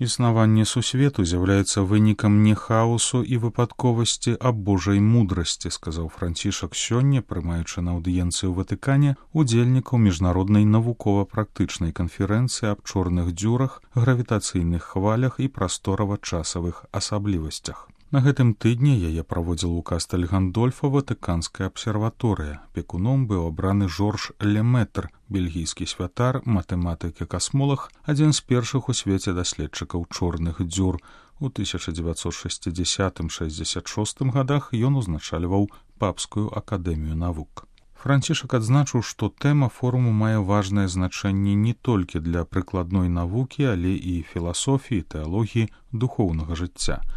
Існаванне сусвету з'яўляецца вынікам не хаосу і выпадковасці, а Божай мудрасці, сказаў Францішак сёння, прымаючы на аўдыенцыі ў Ватыкане удзельнікаў міжнароднай навукова-практычнай канферэнцыі аб чорных дзюрах, гравітацыйных хвалях і прасторава-часавых асаблівасцях. На гэтым тыдні яе праводзіла ў Кастэль Гандольфа Ватыканская абсерваторыя. Пекуном быў абраны Жорж Лемэтр, бельгійскі святар, матэматык і касмолаг, адзін з першых у свеце даследчыкаў чорных дзюр. У 1960-66 гадах ён узначальваў Папскую акадэмію навук. Францішак адзначыў, што тэма форуму мае важнае значэнне не толькі для прыкладной навукі, але і філасофіі, тэалогіі, духоўнага жыцця.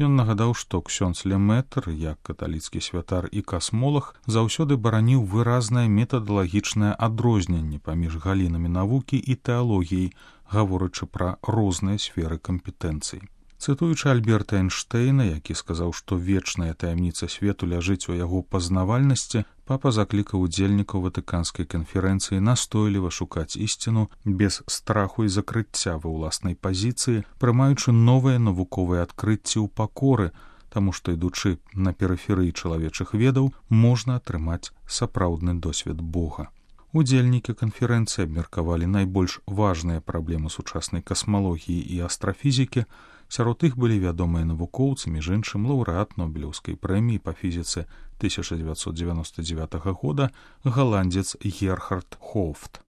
Ён нагадаў, што ксёндз Лемэтр, як каталіцкі святар і касмолаг, заўсёды бараніў выразнае метадалагічнае адрозненне паміж галінамі навукі і тэалогіяй, гаворачы пра розныя сферы кампетэнцый. Цытуючы Альберта Эйнштэйна, які сказаў, што вечная таямніца свету ляжыць у яго пазнавальнасці, папа заклікаў удзельнікаў Ватыканскай канферэнцыі настойліва шукаць ісціну без страху і закрыцця ва ўласнай пазіцыі, прымаючы новыя навуковыя адкрыцці ў пакоры, таму што, ідучы на перыферыі чалавечых ведаў, можна атрымаць сапраўдны досвед Бога. Удзельнікі канферэнцыі абмеркавалі найбольш важныя праблемы сучаснай касмалогіі і астрафізікі. Сярод іх былі вядомыя навукоўцы, між іншым лаўрэат Нобелеўскай прэміі па фізіцы 1999 года галандзец Герхард Хофт.